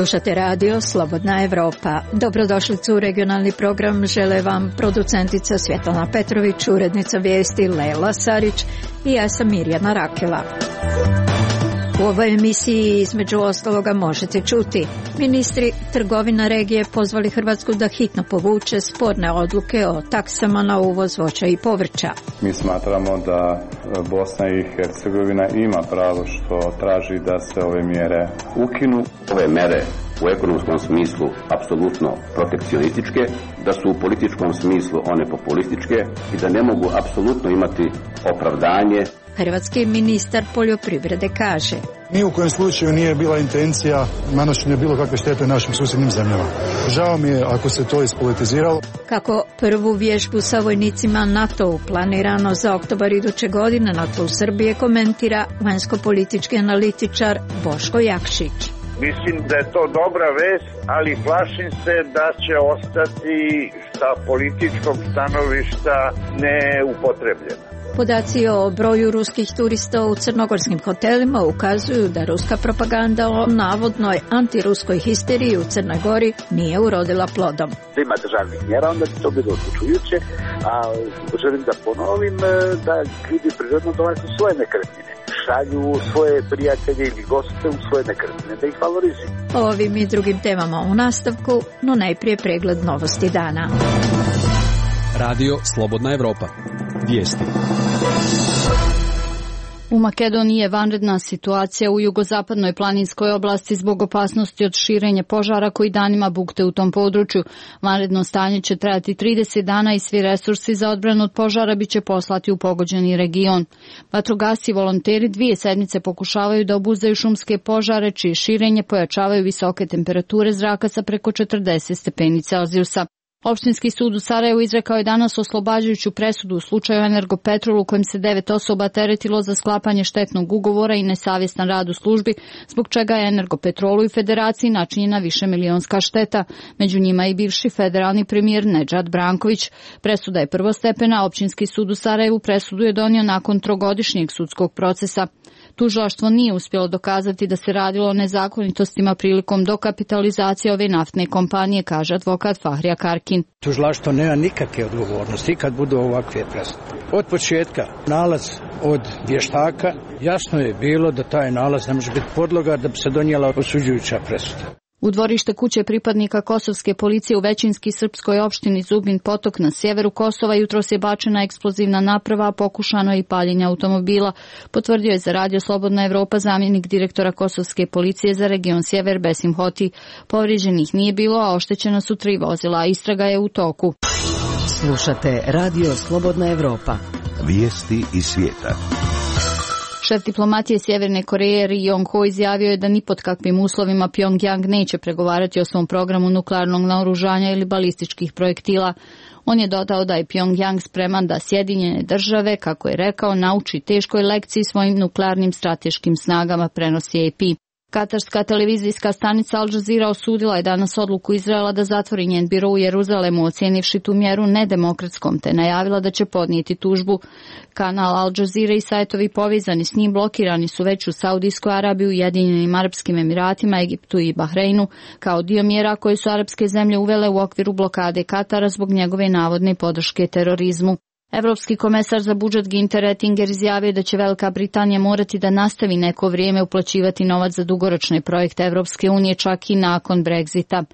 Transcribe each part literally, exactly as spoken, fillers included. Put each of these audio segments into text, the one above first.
Slušate radio Slobodna Evropa. Dobrodošlicu u regionalni program žele vam producentica Svjetlana Petrović, urednica vijesti Lela Sarić i ja sam Mirjana Rakela. U ovoj emisiji između ostaloga možete čuti: ministri trgovina regije pozvali Hrvatsku da hitno povuče sporne odluke o taksama na uvoz voća i povrća. Mi smatramo da Bosna i Hercegovina ima pravo što traži da se ove mjere ukinu. Ove mere u ekonomskom smislu apsolutno protekcionističke, da su u političkom smislu one populističke i da ne mogu apsolutno imati opravdanje. Hrvatski ministar poljoprivrede kaže: ni u kojem slučaju nije bila intencija nanošenja bilo kakve štete našim susjednim zemljama. Žao mi je ako se to ispolitiziralo. Kako prvu vježbu sa vojnicima NATO planirano za oktobar iduće godine na tlu Srbije komentira vanjsko-politički analitičar Boško Jakšić. Mislim da je to dobra vest, ali plašim se da će ostati sa političkog stanovišta neupotrebljena. Podaci o broju ruskih turista u crnogorskim hotelima ukazuju da ruska propaganda o navodnoj antiruskoj histeriji u Crnoj Gori nije urodila plodom. Da ima državnih mjera, onda bi to bilo odlučujuće, a želim da ponovim da ljudi prirodno dolaze u svoje nekretnine, šalju svoje prijatelje ili goste u svoje nekretnine, da ih valorizuju. O ovim i drugim temama u nastavku, no najprije pregled novosti dana. Radio Slobodna Evropa. Vijesti. U Makedoniji je vanredna situacija u jugozapadnoj planinskoj oblasti zbog opasnosti od širenja požara koji danima bukte u tom području. Vanredno stanje će trajati trideset dana i svi resursi za odbranu od požara biće poslati u pogođeni region. Vatrogasci i volonteri dvije sedmice pokušavaju da obuzdaju šumske požare, čije širenje pojačavaju visoke temperature zraka sa preko četrdeset stepeni Celzijusa. Opštinski sud u Sarajevu izrekao je danas oslobađajuću presudu u slučaju Energopetrol u kojem se devet osoba teretilo za sklapanje štetnog ugovora i nesavjestan rad u službi, zbog čega je Energopetrolu i Federaciji načinjena višemilionska šteta. Među njima i bivši federalni premijer Nedžad Branković. Presuda je prvostepena, opštinski sud u Sarajevu presudu je donio nakon trogodišnjeg sudskog procesa. Tužilaštvo nije uspjelo dokazati da se radilo o nezakonitostima prilikom dokapitalizacije ove naftne kompanije, kaže advokat Fahrija Karkin. Tužilaštvo nema nikakve odgovornosti kad budu ovakve presude. Od početka nalaz od vještaka jasno je bilo da taj nalaz ne može biti podloga da bi se donijela osuđujuća presuda. U dvorište kuće pripadnika kosovske policije u većinski srpskoj opštini Zubin Potok na sjeveru Kosova jutros je bačena eksplozivna naprava, a pokušano je i paljenje automobila, potvrdio je za radio Slobodna Evropa zamjenik direktora kosovske policije za region Sjever Besim Hoti. Povrijeđenih nije bilo, a oštećena su tri vozila. Istraga je u toku. Slušate radio Slobodna Evropa. Vijesti iz svijeta. Šef diplomatije Sjeverne Koreje Ri Yong Ho izjavio je da ni pod kakvim uslovima Pyongyang neće pregovarati o svom programu nuklearnog naoružanja ili balističkih projektila. On je dodao da je Pyongyang spreman da Sjedinjene države, kako je rekao, nauči teškoj lekciji svojim nuklearnim strateškim snagama, prenosi A P. Katarska televizijska stanica Al Jazeera osudila je danas odluku Izraela da zatvori njen biro u Jeruzalemu, ocijenivši tu mjeru nedemokratskom, te najavila da će podnijeti tužbu. Kanal Al Jazeera i sajtovi povezani s njim blokirani su već u Saudijskoj Arabiji, Ujedinjenim Arapskim Emiratima, Egiptu i Bahreinu, kao dio mjera koje su arapske zemlje uvele u okviru blokade Katara zbog njegove navodne podrške terorizmu. Evropski komesar za budžet Günther Oettinger izjavio da će Velika Britanija morati da nastavi neko vrijeme uplaćivati novac za dugoročne projekte Evropske unije čak i nakon Brexita.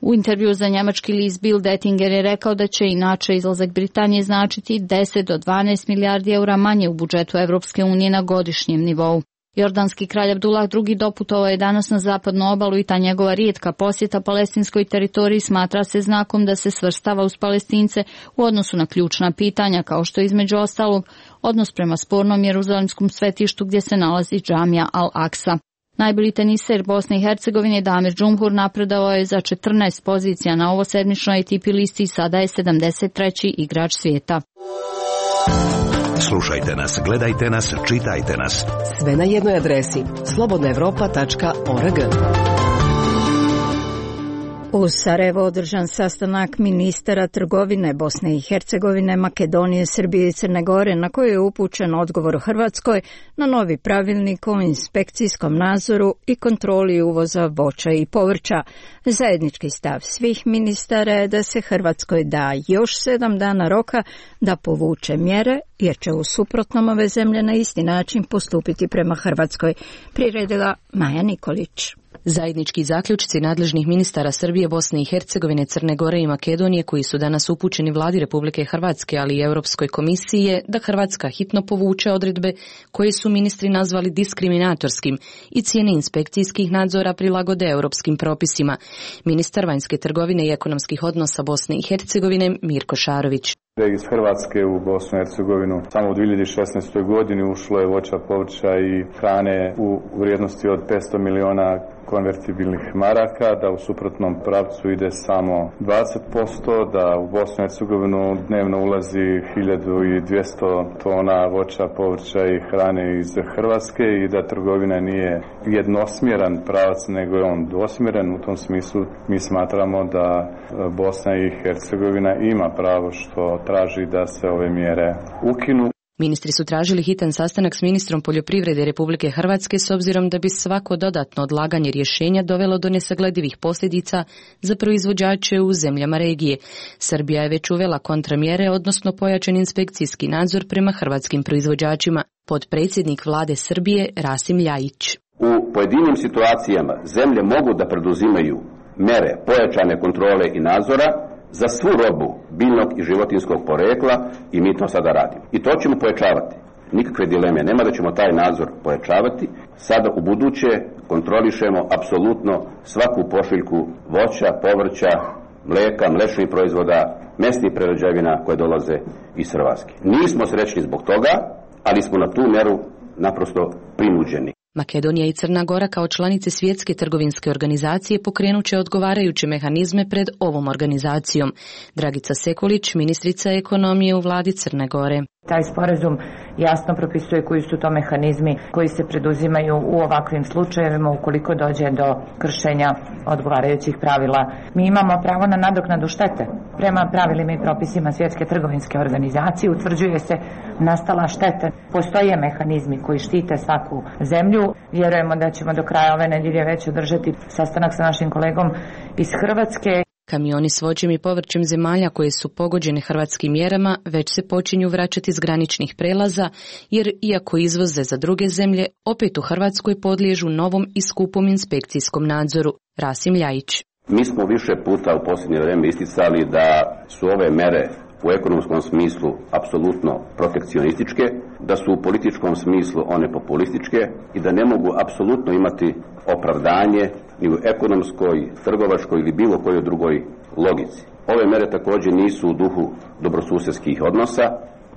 U intervju za njemački list Bild Oettinger je rekao da će inače izlazak Britanije značiti deset do dvanaest milijardi eura manje u budžetu Evropske unije na godišnjem nivou. Jordanski kralj Abdullah drugi doputovao je danas na zapadnu obalu i ta njegova rijetka posjeta palestinskoj teritoriji smatra se znakom da se svrstava uz Palestince u odnosu na ključna pitanja, kao što je između ostalog odnos prema spornom jeruzalemskom svetištu gdje se nalazi džamija Al-Aqsa. Najbolji teniser Bosne i Hercegovine Damir Džumhur napredovao je za četrnaest pozicija na ovosedmičnoj A T P listi i sada je sedamdeset treći igrač svijeta. Slušajte nas, gledajte nas, čitajte nas. Sve na jednoj adresi slobodna evropa tačka org. U Sarajevu održan sastanak ministara trgovine Bosne i Hercegovine, Makedonije, Srbije i Crne Gore, na koji je upućen odgovor Hrvatskoj na novi pravilnik o inspekcijskom nadzoru i kontroli uvoza voća i povrća. Zajednički stav svih ministara je da se Hrvatskoj da još sedam dana roka da povuče mjere, jer će u suprotnom ove zemlje na isti način postupiti prema Hrvatskoj, priredila Maja Nikolić. Zajednički zaključci nadležnih ministara Srbije, Bosne i Hercegovine, Crne Gore i Makedonije, koji su danas upućeni vladi Republike Hrvatske, ali i Europskoj komisiji, je da Hrvatska hitno povuče odredbe koje su ministri nazvali diskriminatorskim i cijene inspekcijskih nadzora prilagode europskim propisima. Ministar vanjske trgovine i ekonomskih odnosa Bosne i Hercegovine Mirko Šarović. Iz Hrvatske u Bosnu i Hercegovinu samo u dvije hiljade šesnaestoj. godini ušlo je voća, povrća i hrane u vrijednosti od petsto miliona konvertibilnih maraka, da u suprotnom pravcu ide samo dvadeset posto, da u Bosnu i Hercegovinu dnevno ulazi hiljadu dvjesto tona voća, povrća i hrane iz Hrvatske i da trgovina nije jednosmjeran pravac, nego je on dvosmjeran. U tom smislu mi smatramo da Bosna i Hercegovina ima pravo što traži da se ove mjere ukinu. Ministri su tražili hitan sastanak s ministrom poljoprivrede Republike Hrvatske s obzirom da bi svako dodatno odlaganje rješenja dovelo do nesagledivih posljedica za proizvođače u zemljama regije. Srbija je već uvela kontramjere, odnosno pojačan inspekcijski nadzor prema hrvatskim proizvođačima. Potpredsjednik vlade Srbije Rasim Ljajić. U pojedinim situacijama zemlje mogu da preduzimaju mere pojačane kontrole i nadzora za svu robu biljnog i životinjskog porekla i mi to sada radimo. I to ćemo pojačavati. Nikakve dileme nema da ćemo taj nadzor pojačavati. Sada u buduće kontrolišemo apsolutno svaku pošiljku voća, povrća, mlijeka, mliječnih proizvoda, mesnih prerađevina koje dolaze iz Hrvatske. Nismo srećni zbog toga, ali smo na tu mjeru naprosto prinuđeni. Makedonija i Crna Gora kao članice Svjetske trgovinske organizacije pokrenut će odgovarajuće mehanizme pred ovom organizacijom. Dragica Sekulić, ministrica ekonomije u vladi Crne Gore. Taj sporazum jasno propisuje koji su to mehanizmi koji se preduzimaju u ovakvim slučajevima ukoliko dođe do kršenja odgovarajućih pravila. Mi imamo pravo na nadoknadu štete. Prema pravilima i propisima Svjetske trgovinske organizacije utvrđuje se nastala šteta. Postoje mehanizmi koji štite svaku zemlju. Vjerujemo da ćemo do kraja ove nedjelje već održati sastanak sa našim kolegom iz Hrvatske. Kamioni s voćem i povrćem zemalja koje su pogođene hrvatskim mjerama već se počinju vraćati s graničnih prelaza, jer iako izvoze za druge zemlje, opet u Hrvatskoj podliježu novom i skupom inspekcijskom nadzoru. Rasim Ljajić. Mi smo više puta u posljednje vrijeme isticali da su ove mere u ekonomskom smislu apsolutno protekcionističke, da su u političkom smislu one populističke i da ne mogu apsolutno imati opravdanje ni u ekonomskoj, trgovačkoj ili bilo kojoj drugoj logici. Ove mere također nisu u duhu dobrosusjedskih odnosa,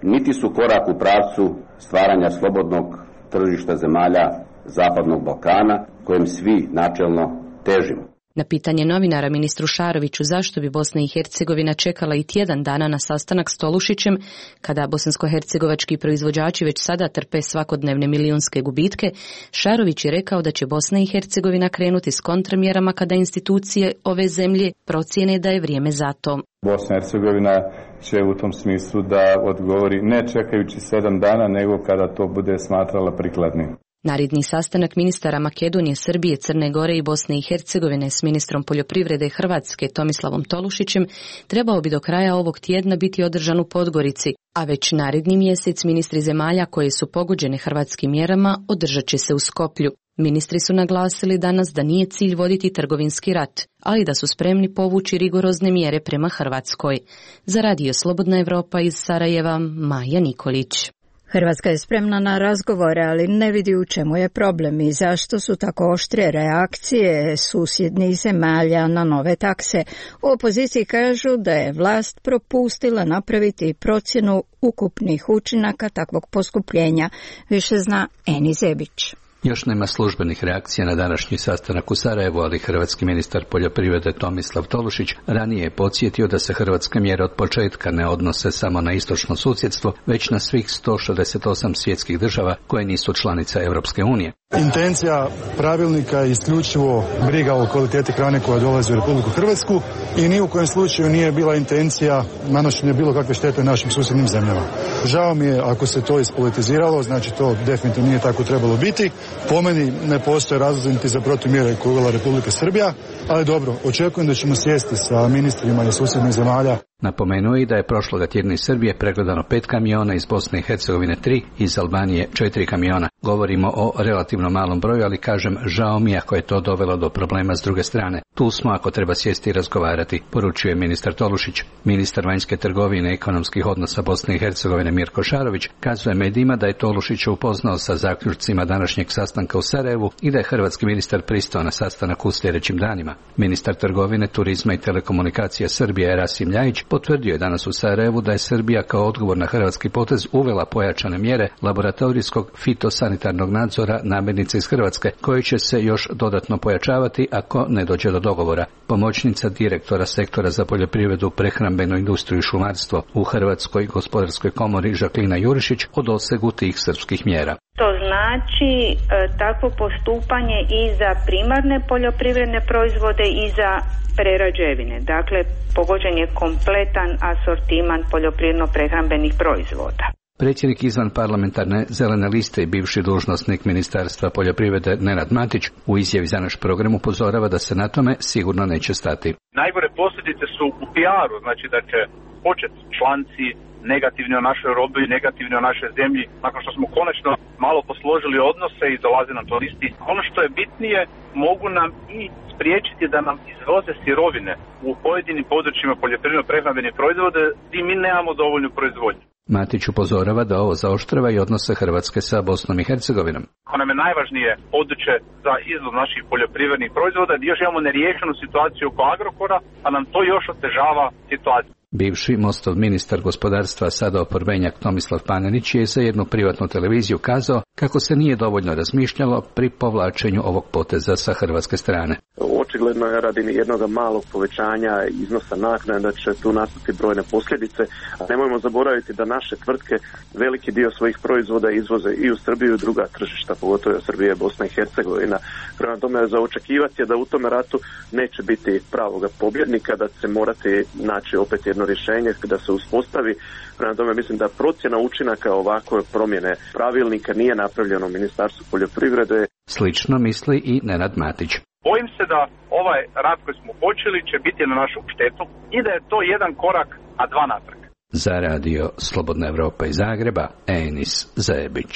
niti su korak u pravcu stvaranja slobodnog tržišta zemalja Zapadnog Balkana, kojem svi načelno težimo. Na pitanje novinara ministru Šaroviću zašto bi Bosna i Hercegovina čekala i tjedan dana na sastanak s Tolušićem, kada bosansko-hercegovački proizvođači već sada trpe svakodnevne milijunske gubitke, Šarović je rekao da će Bosna i Hercegovina krenuti s kontramjerama kada institucije ove zemlje procijene da je vrijeme za to. Bosna i Hercegovina će u tom smislu da odgovori ne čekajući sedam dana, nego kada to bude smatrala prikladnim. Naredni sastanak ministara Makedonije, Srbije, Crne Gore i Bosne i Hercegovine s ministrom poljoprivrede Hrvatske Tomislavom Tolušićem trebao bi do kraja ovog tjedna biti održan u Podgorici, a već naredni mjesec ministri zemalja koje su pogođene hrvatskim mjerama održat će se u Skoplju. Ministri su naglasili danas da nije cilj voditi trgovinski rat, ali da su spremni povući rigorozne mjere prema Hrvatskoj. Za Radio Slobodna Evropa iz Sarajeva, Maja Nikolić. Hrvatska je spremna na razgovore, ali ne vidi u čemu je problem i zašto su tako oštre reakcije susjednih zemalja na nove takse. U opoziciji kažu da je vlast propustila napraviti procjenu ukupnih učinaka takvog poskupljenja. Više zna Eni Zebić. Još nema službenih reakcija na današnji sastanak u Sarajevu, ali hrvatski ministar poljoprivrede Tomislav Tolušić ranije je podsjetio da se hrvatske mjere od početka ne odnose samo na istočno susjedstvo, već na svih sto šezdeset osam svjetskih država koje nisu članice Europske unije. Intencija pravilnika je isključivo briga o kvaliteti hrane koja dolazi u Republiku Hrvatsku i ni u kojem slučaju nije bila intencija nanošenja bilo kakve štete našim susjednim zemljama. Žao mi je ako se to ispolitiziralo, znači to definitivno nije tako trebalo biti. Po meni ne postoje razlozi niti za protumjere koje je uvela Republika Srbija, ali dobro, očekujem da ćemo sjesti sa ministrima iz susjednih zemalja. Napomenuo je da je prošloga tjedna iz Srbije pregledano pet kamiona, iz Bosne i Hercegovine tri, iz Albanije četiri kamiona. Govorimo o relativno malom broju, ali kažem, žao mi ako je to dovelo do problema s druge strane. Tu smo ako treba sjesti i razgovarati, poručuje ministar Tolušić. Ministar vanjske trgovine i ekonomskih odnosa Bosne i Hercegovine Mirko Šarović kazuje medijima da je Tolušić upoznao sa zaključcima današnjeg sastanka u Sarajevu i da je hrvatski ministar pristao na sastanak u sljedećim danima. Ministar trgovine, turizma i telekomunikacija Srbije Rasim Ljajić potvrdio je danas u Sarajevu da je Srbija kao odgovor na hrvatski potez uvela pojačane mjere laboratorijskog fitosanitarnog nadzora namirnica iz Hrvatske, koje će se još dodatno pojačavati ako ne dođe do dogovora. Pomoćnica direktora sektora za poljoprivredu, prehrambenu industriju i šumarstvo u Hrvatskoj gospodarskoj komori Žaklina Jurišić o dosegu tih srpskih mjera. To znači e, takvo postupanje i za primarne poljoprivredne proizvode i za prerađevine. Dakle, pogođen je kompletan asortiman poljoprivredno-prehrambenih proizvoda. Predsjednik izvan parlamentarne zelene liste i bivši dužnosnik Ministarstva poljoprivrede Nenad Matić u izjavi za naš program upozorava da se na tome sigurno neće stati. Najgore posljedice su u P R-u, znači da će početi članci negativni o našoj robi, negativni o našoj zemlji, nakon što smo konačno malo posložili odnose i dolaze nam turisti. Ono što je bitnije, mogu nam i spriječiti da nam izvoze sirovine u pojedinim područjima poljoprivredno-prehrambenih proizvoda gdje mi nemamo dovoljnu proizvodnju. Matić upozorava da ovo zaoštrava i odnose Hrvatske sa Bosnom i Hercegovinom. Ono nam je najvažnije područje za izvoz naših poljoprivrednih proizvoda, gdje još imamo neriješenu situaciju oko Agrokora, a nam to još otežava situaciju. Bivši Mostov ministar gospodarstva, sada oporbenjak Tomislav Panenić je za jednu privatnu televiziju kazao kako se nije dovoljno razmišljalo pri povlačenju ovog poteza sa hrvatske strane. Očigledno je radi jednog malog povećanja iznosa naknade da će tu nastati brojne posljedice, a nemojmo zaboraviti da naše tvrtke veliki dio svojih proizvoda izvoze i u Srbiju i druga tržišta, pogotovo Srbije, Bosna i Hercegovina. Prema tome za očekivati je da u tome ratu neće biti pravoga pobjednika, da će morati naći opet jedno rješenje da se uspostavi. Prema tome mislim da procjena učinaka ovakve promjene pravilnika nije napravljeno u Ministarstvu poljoprivrede. Slično misli i Nenad Matić. Bojim se da ovaj rat koji smo počeli će biti na našu štetu i da je to jedan korak, a dva natrag. Za radio Slobodna Evropa iz Zagreba, Enis Zajebić.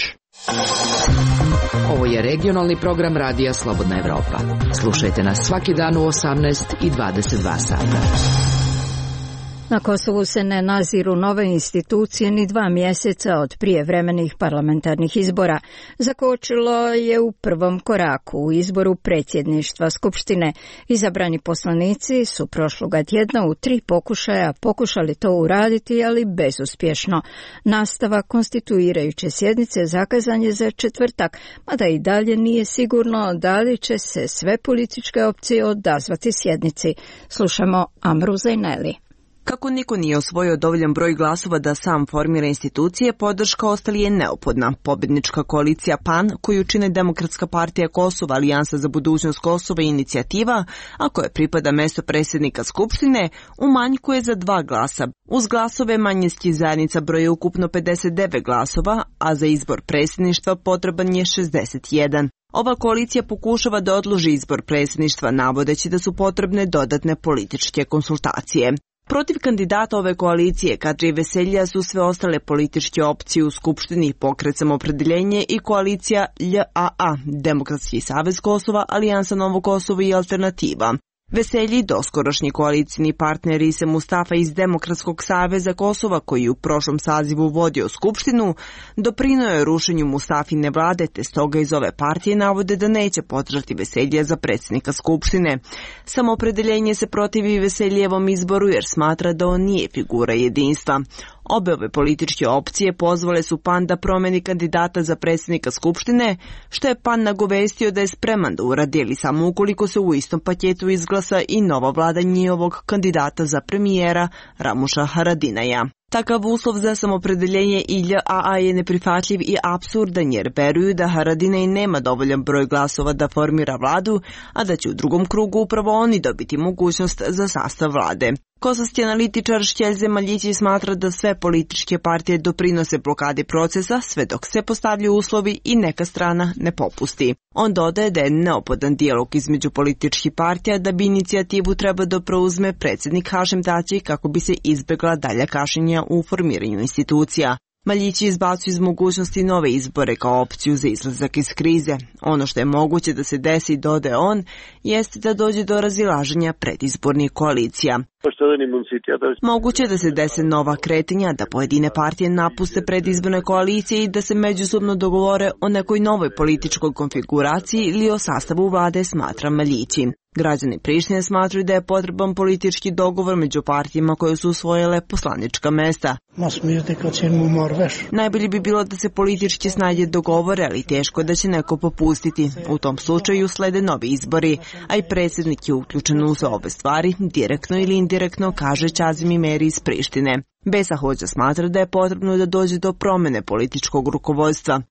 Ovo je regionalni program radija Slobodna Evropa. Slušajte nas svaki dan u osamnaest i dvadeset dva sata. Na Kosovu se ne naziru nove institucije ni dva mjeseca od prijevremenih parlamentarnih izbora. Zakočilo je u prvom koraku u izboru predsjedništva Skupštine. Izabrani poslanici su prošloga tjedna u tri pokušaja pokušali to uraditi, ali bezuspješno. Nastavak konstituirajuće sjednice zakazan je za četvrtak, mada i dalje nije sigurno da li će se sve političke opcije odazvati sjednici. Slušamo Amru Zajneli. Kako niko nije osvojio dovoljan broj glasova da sam formira institucije, podrška ostali je neophodna. Pobjednička koalicija P A N, koju čine Demokratska partija Kosova, Alijansa za budućnost Kosova i Inicijativa, a koje pripada mjesto predsjednika Skupštine, umanjkuje za dva glasa. Uz glasove manjinskih zajednica broje ukupno pedeset devet glasova, a za izbor predsjedništva potreban je šezdeset jedan. Ova koalicija pokušava da odloži izbor predsjedništva, navodeći da su potrebne dodatne političke konsultacije. Protiv kandidata ove koalicije Kadrije Veselja su sve ostale političke opcije u Skupštini, Pokret Samoopredjeljenje i koalicija L A A, Demokratski savez Kosova, Alijansa Novo Kosovo i Alternativa. Veselji, doskorošnji koalicijni partner Ise Mustafa iz Demokratskog saveza Kosova, koji u prošlom sazivu vodio Skupštinu, doprinuo je rušenju Mustafine vlade, te stoga iz ove partije navode da neće podržati Veselja za predsjednika Skupštine. Samoopredeljenje se protivi Veseljevom izboru jer smatra da on nije figura jedinstva. Obe ove političke opcije pozvale su P A N da promeni kandidata za predsjednika Skupštine, što je P A N nagovestio da je spreman da uradi, ali samo ukoliko se u istom paketu izglasa i nova vlada njihovog kandidata za premijera Ramuša Haradinaja. Takav uslov za samopredeljenje I L A A je neprihvatljiv i apsurdan jer veruju da Haradinaj nema dovoljan broj glasova da formira vladu, a da će u drugom krugu upravo oni dobiti mogućnost za sastav vlade. Kosovski analitičar Šćelze Maljići smatra da sve političke partije doprinose blokadi procesa sve dok se postavljaju uslovi i neka strana ne popusti. On dodaje da je neophodan dijalog između političkih partija da bi inicijativu treba da preuzme predsjednik Hašem Tači kako bi se izbjegla dalja kašnjenja u formiranju institucija. Maljići izbacuju iz mogućnosti nove izbore kao opciju za izlazak iz krize. Ono što je moguće da se desi, dodaje on, jeste da dođe do razilaženja predizbornih koalicija. Moguće da se dese nova kretanja, da pojedine partije napuste predizborne koalicije i da se međusobno dogovore o nekoj novoj političkoj konfiguraciji ili o sastavu vlade, smatra Maljići. Građani Prištine smatruju da je potreban politički dogovor među partijama koje su usvojile poslanička mesta. Najbolje bi bilo da se politički snage dogovore, ali teško da će neko popustiti. U tom slučaju slede novi izbori, a i predsjednik je uključen u sve ove stvari, direktno ili indirektno, kaže Čazim Imeri iz Prištine. Besa Hođa smatra da je potrebno da dođe do promjene političkog rukovodstva.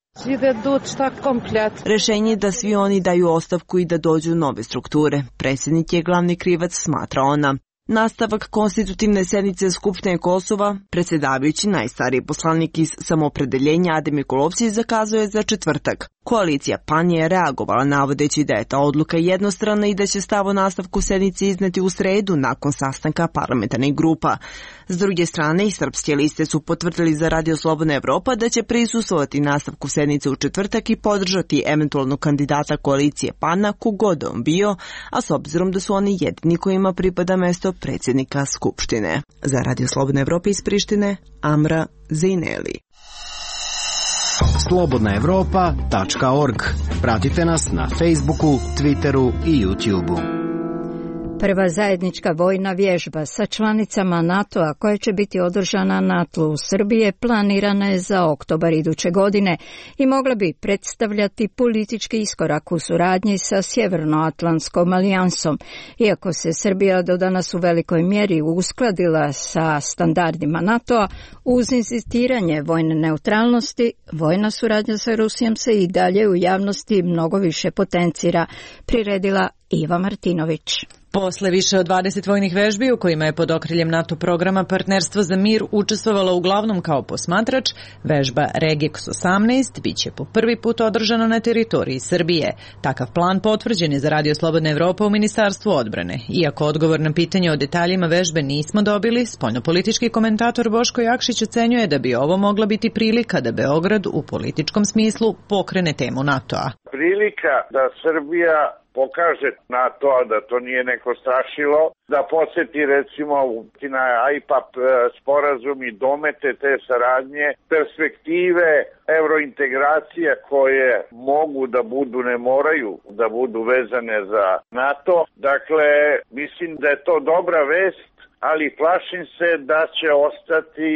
Rešenje je da svi oni daju ostavku i da dođu nove strukture. Predsjednik je glavni krivac, smatra ona. Nastavak konstitutivne sednice Skupštine Kosova, predsjedavajući najstariji poslanik iz samopredeljenja Adem Mikulovci, zakazuje za četvrtak. Koalicija PAN je reagovala navodeći da je ta odluka jednostrana i da će stav o nastavku sednice izneti u sredu nakon sastanka parlamentarnih grupa. S druge strane, i srpske liste su potvrdili za Radio Slobodna Evropa da će prisustvovati nastavku sednice u četvrtak i podržati eventualno kandidata koalicije PAN-a kogod on bio, a s obzirom da su oni jedini kojima pripada mesto predsjednika Skupštine. Za Radio Slobodna Evropa iz Prištine, Amra Zejneli. slobodna evropa tačka org. Pratite nas na Facebooku, Twitteru i YouTubeu. Prva zajednička vojna vježba sa članicama NATO-a koja će biti održana na tlu Srbije planirana je za oktobar iduće godine i mogla bi predstavljati politički iskorak u suradnji sa Sjevernoatlantskom alijansom. Iako se Srbija do danas u velikoj mjeri uskladila sa standardima NATO-a, uz insistiranje vojne neutralnosti, vojna suradnja sa Rusijom se i dalje u javnosti mnogo više potencira, priredila Iva Martinović. Posle više od dvadeset vojnih vežbi u kojima je pod okriljem NATO programa Partnerstvo za mir učestvovala uglavnom kao posmatrač, vežba Regex osamnaest biće po prvi put održana na teritoriji Srbije. Takav plan potvrđen je za Radio Slobodna Evropa u Ministarstvu odbrane. Iako odgovor na pitanje o detaljima vežbe nismo dobili, spoljnopolitički komentator Boško Jakšić ocenjuje da bi ovo mogla biti prilika da Beograd u političkom smislu pokrene temu NATO-a. Prilika da Srbija pokaže NATO-a da to nije neko strašilo, da podsjeti recimo na I P A P sporazum i domete te saradnje, perspektive eurointegracija koje mogu da budu, ne moraju da budu vezane za NATO. Dakle, mislim da je to dobra vest, ali plašim se da će ostati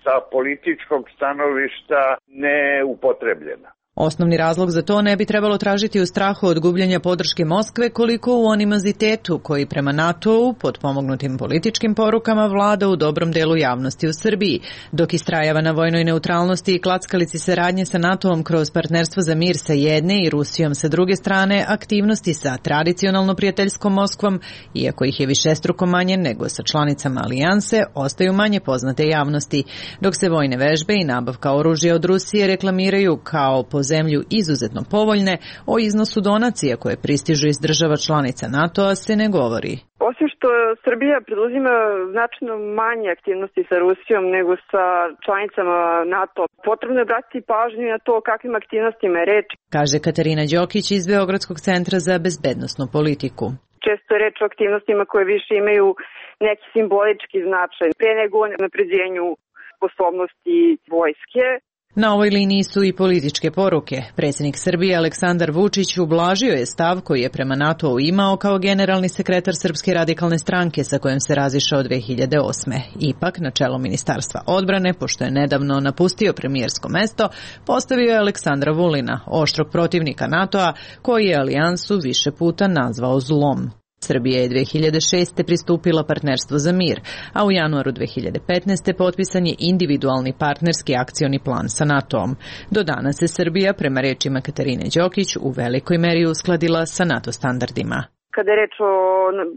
sa političkog stanovišta neupotrebljena. Osnovni razlog za to ne bi trebalo tražiti u strahu od gubljenja podrške Moskve koliko u animozitetu koji prema NATO-u pod pomognutim političkim porukama vlada u dobrom delu javnosti u Srbiji. Dok istrajava na vojnoj neutralnosti i klackalici saradnje sa NATO-om kroz Partnerstvo za mir sa jedne i Rusijom sa druge strane, aktivnosti sa tradicionalno prijateljskom Moskvom, iako ih je višestruko manje nego sa članicama alijanse, ostaju manje poznate javnosti, dok se vojne vežbe i nabavka oružja od Rusije reklamiraju kao po zemlju izuzetno povoljne, o iznosu donacija koje pristižu iz država članica NATO-a se ne govori. Osim što Srbija preduzima značajno manje aktivnosti sa Rusijom nego sa članicama NATO, potrebno je obratiti pažnju na to o kakvim aktivnostima je reč, kaže Katarina Đokić iz Beogradskog centra za bezbednosnu politiku. Često je reč o aktivnostima koje više imaju neki simbolički značaj, pre nego o napređenju sposobnosti vojske. Na ovoj liniji su i političke poruke. Predsjednik Srbije Aleksandar Vučić ublažio je stav koji je prema NATO-u imao kao generalni sekretar Srpske radikalne stranke sa kojim se razišao dve hiljade osme. Ipak, na čelo Ministarstva odbrane, pošto je nedavno napustio premijersko mesto, postavio je Aleksandra Vulina, oštrog protivnika NATO-a, koji je alijansu više puta nazvao zlom. Srbija je dve hiljade šeste. pristupila partnerstvu za mir, a u januaru dve hiljade petnaeste. potpisan je individualni partnerski akcioni plan sa NATO-om. Do danas se Srbija, prema rečima Katarine Đokić, u velikoj meri uskladila sa NATO standardima. Kada je reč o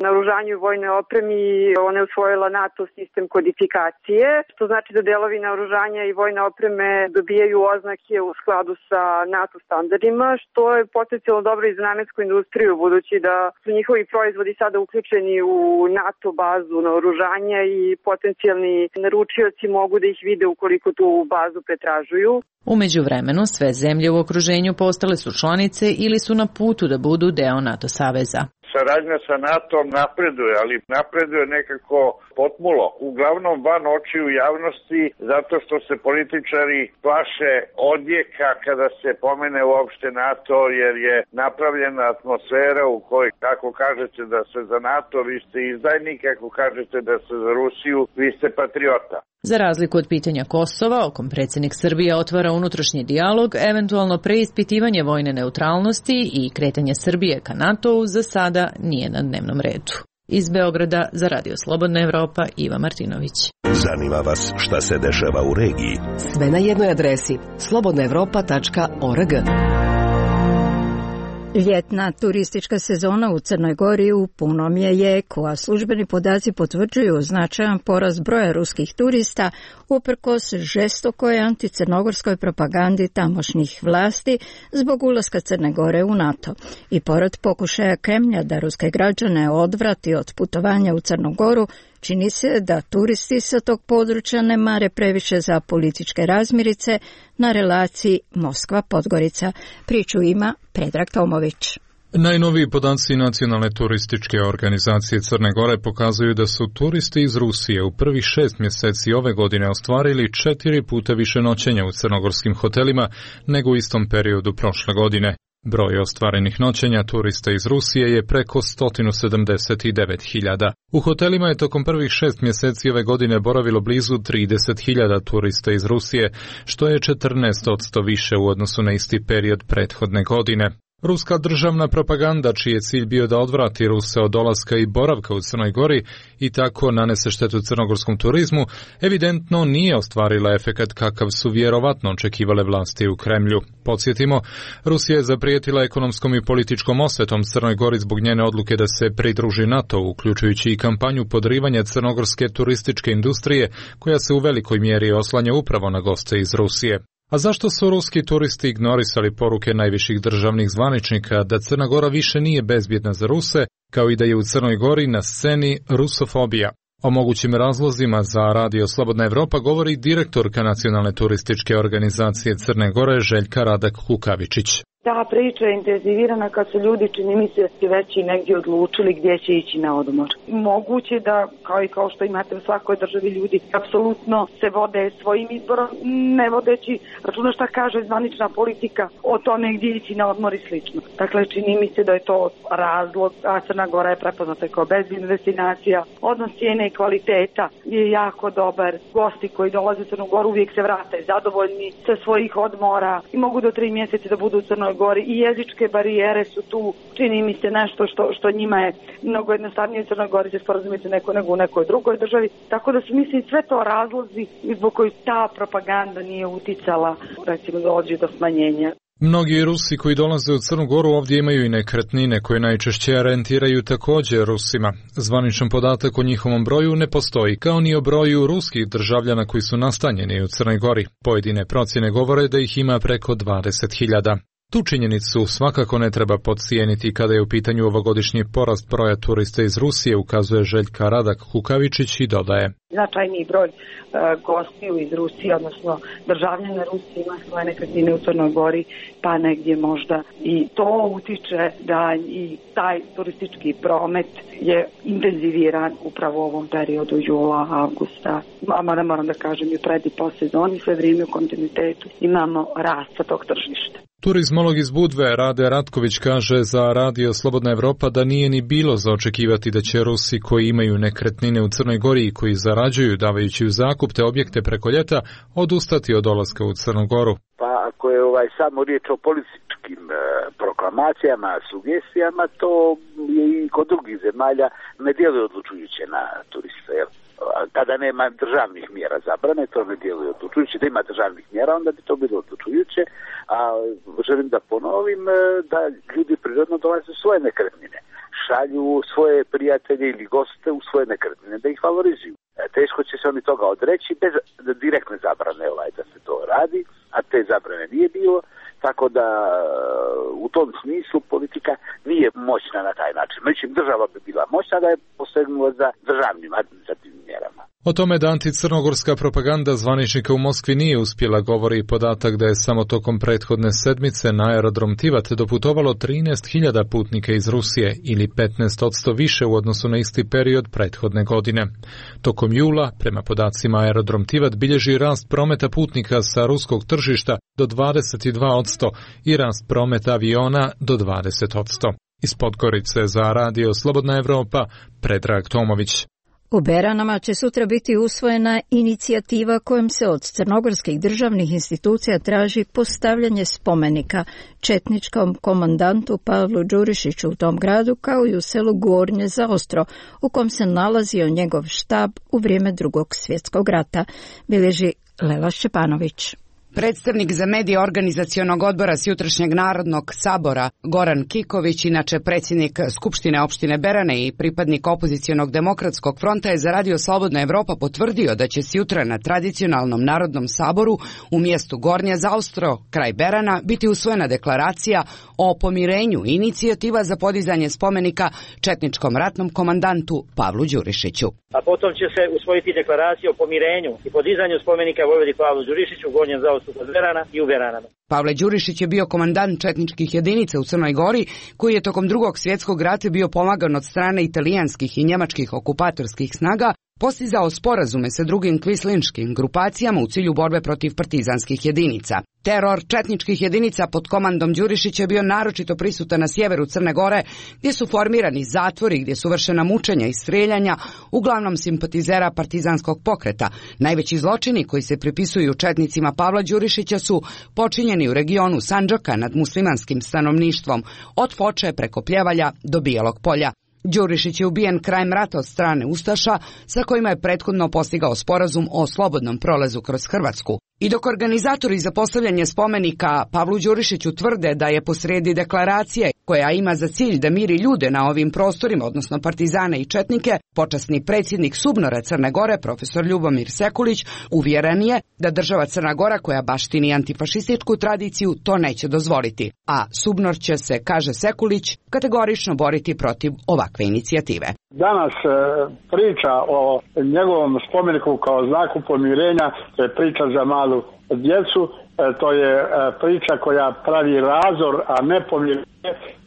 naoružanju i vojnoj opremi, ona je usvojila NATO sistem kodifikacije, što znači da delovi naoružanja i vojne opreme dobijaju oznake u skladu sa NATO standardima, što je potencijalno dobro i za namensku industriju, budući da su njihovi proizvodi sada uključeni u NATO bazu naoružanja i potencijalni naručioci mogu da ih vide ukoliko tu bazu pretražuju. U međuvremenu sve zemlje u okruženju postale su članice ili su na putu da budu deo NATO saveza. Saradnja sa NATO-om napreduje, ali napreduje nekako potmulo. Uglavnom van očiju javnosti, zato što se političari plaše odjeka kada se pomene uopšte NATO, jer je napravljena atmosfera u kojoj, ako kažete da ste za NATO, vi ste izdajnik, ako kažete da ste za Rusiju, vi ste patriota. Za razliku od pitanja Kosova, o kom predsjednik Srbije otvara unutrašnji dijalog, eventualno preispitivanje vojne neutralnosti i kretanje Srbije ka NATO-u za sada nije na dnevnom redu. Iz Beograda za Radio Slobodna Evropa, Iva Martinović. Zanima vas šta se dešava u regiji? Sve na jednoj adresi slobodna evropa tačka org. Ljetna turistička sezona u Crnoj Gori u punom je jeku, a službeni podaci potvrđuju značajan porast broja ruskih turista uprkos žestokoj anticrnogorskoj propagandi tamošnjih vlasti zbog ulaska Crne Gore u NATO. I pored pokušaja Kremlja da ruske građane odvrati od putovanja u Crnu Goru, čini se da turisti sa tog područja ne mare previše za političke razmirice na relaciji Moskva-Podgorica. Priču ima Predrag Tomović. Najnoviji podaci Nacionalne turističke organizacije Crne Gore pokazuju da su turisti iz Rusije u prvih šest mjeseci ove godine ostvarili četiri puta više noćenja u crnogorskim hotelima nego u istom periodu prošle godine. Broj ostvarenih noćenja turista iz Rusije je preko sto sedamdeset devet hiljada. U hotelima je tokom prvih šest mjeseci ove godine boravilo blizu trideset hiljada turista iz Rusije, što je četrnaest posto više u odnosu na isti period prethodne godine. Ruska državna propaganda, čiji je cilj bio da odvrati Ruse od dolaska i boravka u Crnoj Gori i tako nanese štetu crnogorskom turizmu, evidentno nije ostvarila efekat kakav su vjerovatno očekivale vlasti u Kremlju. Podsjetimo, Rusija je zaprijetila ekonomskom i političkom osvetom Crnoj Gori zbog njene odluke da se pridruži NATO, uključujući i kampanju podrivanja crnogorske turističke industrije, koja se u velikoj mjeri oslanja upravo na goste iz Rusije. A zašto su ruski turisti ignorisali poruke najviših državnih zvaničnika da Crna Gora više nije bezbjedna za Ruse, kao i da je u Crnoj Gori na sceni rusofobija? O mogućim razlozima za Radio Slobodna Evropa govori direktorka Nacionalne turističke organizacije Crne Gore Željka Radak Kukavičić. Ta priča je intenzivirana kad su ljudi, čini mi se, već i negdje odlučili gdje će ići na odmor. Moguće da, kao i kao što imate u svakoj državi, ljudi apsolutno se vode svojim izborom, ne vodeći računa šta kaže zvanična politika o tome gdje ići na odmor i slično. Dakle, čini mi se da je to razlog, a Crna Gora je prepoznata kao bezbjedna destinacija. Odnos cijene i kvaliteta je jako dobar. Gosti koji dolaze u Crnu Goru uvijek se vrate zadovoljni sa svojih odmora i mogu do tri mjeseca da budu u Crnoj Gori i jezičke barijere su tu, čini mi se nešto što, što njima je mnogo jednostavnije u Crnoj Gori se sporazumiti neko nego u nekoj drugoj državi, tako da su mislim sve to razlozi zbog koji ta propaganda nije uticala, recimo dođe do smanjenja. Mnogi Rusi koji dolaze u Crnu Goru ovdje imaju i nekretnine koje najčešće rentiraju također Rusima. Zvaničan podatak o njihovom broju ne postoji, kao ni o broju ruskih državljana koji su nastanjeni u Crnoj Gori. Pojedine procjene govore da ih ima preko dvadeset hiljada. Tu činjenicu svakako ne treba podcijeniti kada je u pitanju ovogodišnji porast broja turista iz Rusije, ukazuje Željka Radak Kukavičić i dodaje. Značajniji broj uh, gostiju iz Rusije, odnosno državljana Rusije ima svoje nekretnine u Crnoj Gori, pa negdje možda i to utiče da i taj turistički promet je intenziviran upravo u ovom periodu jula, avgusta. Mada moram da kažem i pred i po sezoni, sve vrijeme u kontinuitetu imamo rast tog tržišta. Turizmolog iz Budve Rade Ratković kaže za Radio Slobodna Evropa da nije ni bilo za očekivati da će Rusi koji imaju nekretnine u Crnoj Gori i koji zarađuju davajući u zakup te objekte preko ljeta odustati od dolaska u Crnu Goru. Pa ako je ovaj samo riječ o političkom nekim e, proklamacijama, sugestijama, to je i kod drugih zemalja ne djeluje odlučujuće na turiste. Jel? Kada nema državnih mjera zabrane, to ne djeluje odlučujuće. Da ima državnih mjera, onda bi to bilo odlučujuće. A želim da ponovim da ljudi prirodno dolaze u svoje nekretnine. Šalju svoje prijatelje ili goste u svoje nekretnine da ih valorizuju. Teško će se oni toga odreći bez direktne zabrane ovaj, da se to radi, a te zabrane nije bilo. Tako da u tom smislu politika nije moćna na taj način. Međutim, država bi bila moćna da je posegnula za državnim administrativnim mjerama. O tome da anticrnogorska propaganda zvaničnika u Moskvi nije uspjela govori i podatak da je samo tokom prethodne sedmice na aerodrom Tivat doputovalo trinaest hiljada putnika iz Rusije ili petnaest posto više u odnosu na isti period prethodne godine. Tokom jula, prema podacima aerodrom Tivat bilježi rast prometa putnika sa ruskog tržišta do dvadeset dva posto i rast prometa aviona do dvadeset posto. Iz Podgorice za radio Slobodna Evropa, Predrag Tomović. U Beranama će sutra biti usvojena inicijativa kojom se od crnogorskih državnih institucija traži postavljanje spomenika četničkom komandantu Pavlu Đurišiću u tom gradu, kao i u selu Gornje Zaostro, u kom se nalazio njegov štab u vrijeme Drugog svjetskog rata, bilježi Lela Šćepanović. Predstavnik za medije organizacionog odbora s jutrašnjeg Narodnog sabora Goran Kiković, inače predsjednik Skupštine opštine Berane i pripadnik opozicionog demokratskog fronta, je za radio Slobodna Evropa potvrdio da će sjutra na tradicionalnom Narodnom saboru u mjestu Gornja Zaostro, kraj Berana, biti usvojena deklaracija o pomirenju i inicijativa za podizanje spomenika četničkom ratnom komandantu Pavlu Đurišiću. A potom će se usvojiti deklaracija o pomirenju i podizanju spomenika vojvodi Pavlu Đurišiću u Gornjem Zaostru kod Berana i u Beranama. Pavle Đurišić je bio komandant četničkih jedinica u Crnoj Gori, koji je tokom Drugog svjetskog rata bio pomagan od strane italijanskih i njemačkih okupatorskih snaga, postizao sporazume sa drugim kvislinškim grupacijama u cilju borbe protiv partizanskih jedinica. Teror četničkih jedinica pod komandom Đurišića je bio naročito prisutan na sjeveru Crne Gore, gdje su formirani zatvori, gdje su vršena mučenja i strijeljanja, uglavnom simpatizera partizanskog pokreta. Najveći zločini koji se pripisuju četnicima Pavla Đurišića su počinjeni u regionu Sandžaka nad muslimanskim stanovništvom, od Foče preko Pljevalja do Bijelog polja. Đurišić je ubijen krajem rata od strane ustaša, sa kojima je prethodno postigao sporazum o slobodnom prolazu kroz Hrvatsku. I dok organizatori za postavljanje spomenika Pavlu Đurišiću tvrde da je posrijedi deklaracije koja ima za cilj da miri ljude na ovim prostorima, odnosno partizane i četnike, počasni predsjednik Subnora Crne Gore, profesor Ljubomir Sekulić, uvjeren je da država Crna Gora, koja baštini antifašističku tradiciju, to neće dozvoliti. A Subnor će se, kaže Sekulić, kategorično boriti protiv ovakve inicijative. Danas e, priča o njegovom spomeniku kao znaku pomirenja, to je priča za malu djecu, e, to je e, priča koja pravi razor, a ne pomirenje.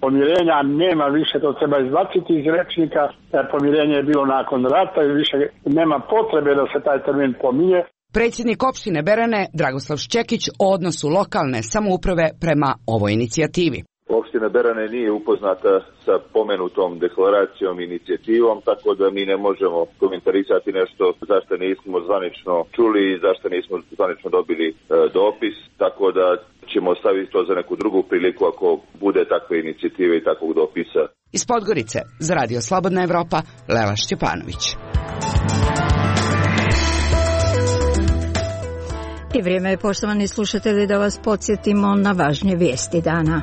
Pomirenja nema više, to treba izbaciti iz rečnika, e, pomirenje je bilo nakon rata i više nema potrebe da se taj termin pominje. Predsjednik opštine Berane, Dragoslav Šćekić, o odnosu lokalne samouprave prema ovoj inicijativi. Opština Berane nije upoznata sa pomenutom deklaracijom i inicijativom, tako da mi ne možemo komentarisati nešto zašto nismo zvanično čuli i zašto nismo zvanično dobili e, dopis, tako da ćemo ostaviti to za neku drugu priliku ako bude takve inicijative i takvog dopisa. Iz Podgorice, za radio Slobodna Evropa, Lela Šćepanović. I vrijeme je, poštovani slušatelji, da vas podsjetimo na važnije vijesti dana.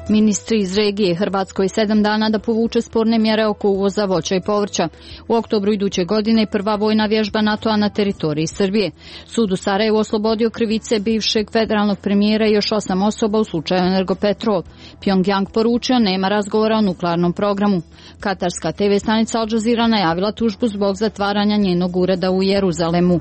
Ministri iz regije Hrvatskoj sedam dana da povuče sporne mjere oko uvoza voća i povrća. U oktobru iduće godine prva vojna vježba NATO-a na teritoriji Srbije. Sud u Sarajevu oslobodio krivice bivšeg federalnog premijera i još osam osoba u slučaju Energopetrol. Pyongyang poručio nema razgovora o nuklearnom programu. Katarska te ve stanica Al Jazeera najavila tužbu zbog zatvaranja njenog ureda u Jeruzalemu.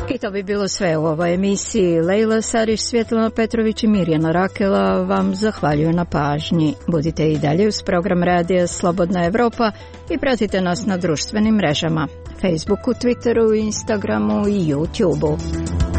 I to bi bilo sve u ovoj emisiji. Lejla Sarić, Svjetlana Petrović i Mirjana Rakela vam zahvaljuju na pažnji. Budite i dalje uz program radija Slobodna Evropa i pratite nas na društvenim mrežama, Facebooku, Twitteru, Instagramu i YouTubeu.